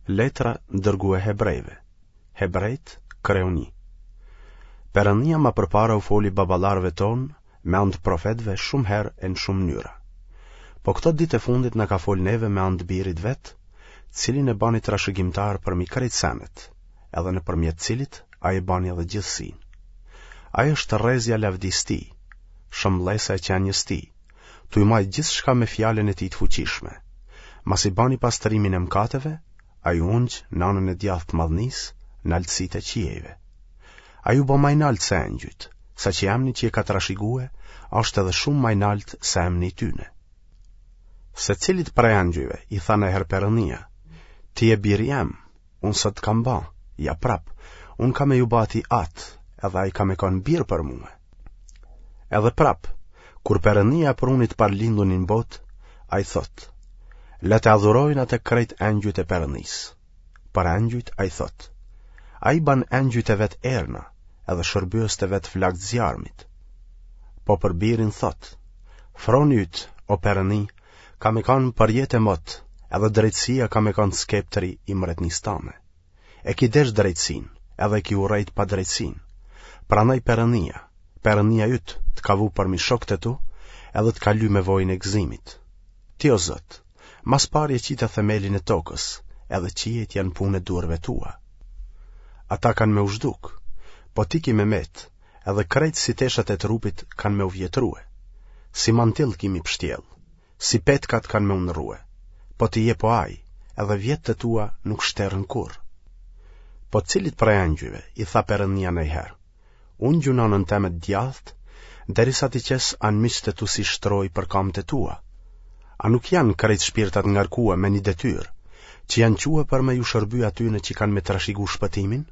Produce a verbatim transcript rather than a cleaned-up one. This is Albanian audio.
Letra dërgue Hebrejve. Hebrejt, kreu një. Perëndia ma përpara u foli baballarëve tonë me anë të profetëve shumë herë e në shumë mënyra. Po këto ditë e fundit na ka fol neve me anë të birit vet, cilin e bani trashëgimtar përmi krejt senet, edhe nëpërmjet cilit ai e bani edhe gjithësinë. Ai është rrezja e lavdisë tij, shëmbëllesa e qenies tij, tuj majt gjithçka me fjalën e tij të fuqishme. Masi bani pastrimin e mëkateve, ai u ungj në anën e djathtë të madhnisë, në altësitë e qiejve. Ai u bë ma i naltë se engjujt, saqë emni që e ka trashigue, është edhe shumë ma i naltë se emni i tyne. Se cilit prej engjujve i tha najherë Perëndia, ti je biri jem, unë sot të kam ba, ja prap, unë kam me ju ba atij atë, edhe ai ka me kanë bir për mue. Edhe prap, kur Perëndia e pruni të parëlindunin në botë, ai thotë, le të adhurojnë atë krejt engjujt e Perëndisë. Për engjujt ai thotë, ai ban engjujt e vet erna, edhe shërbyest e vet flakë të zjarmit. Po për birin thotë, froni yt, o Perëndi, ka me kanë për jetë e mot, edhe drejtësia ka me kanë skeptri i mretnisë tane. E ki desh drejtësinë, edhe e ki urrejt padrejtësinë. Prandaj Perëndia, Perëndia yt, të ka vu përmi shokët e tu, edhe të ka ly me vojin e gëzimit. Ti o Zot, ma s'pari e qite themelin e tokës, edhe qiejt janë punë e duarve tua. Ata kanë me u zhduk, po ti ki me met, edhe krejt si teshat e trupit kanë me u vjetrue. Si mantil ki m'i pshtjellë, si petkat kanë me u ndrrue, po ti je po ai, edhe vjetët e tua nuk shterren kurrë. Po cilit prej engjujve i tha Perëndia najherë, ungju në anën teme të djathtë, derisa t'i qes anmiqtë e tu si shtrojë për kamët e tua. A nuk janë krejt shpirtat ngarkue me një detyrë, që janë çue për me ju shërby atyne që kanë me trashigu shpëtimin?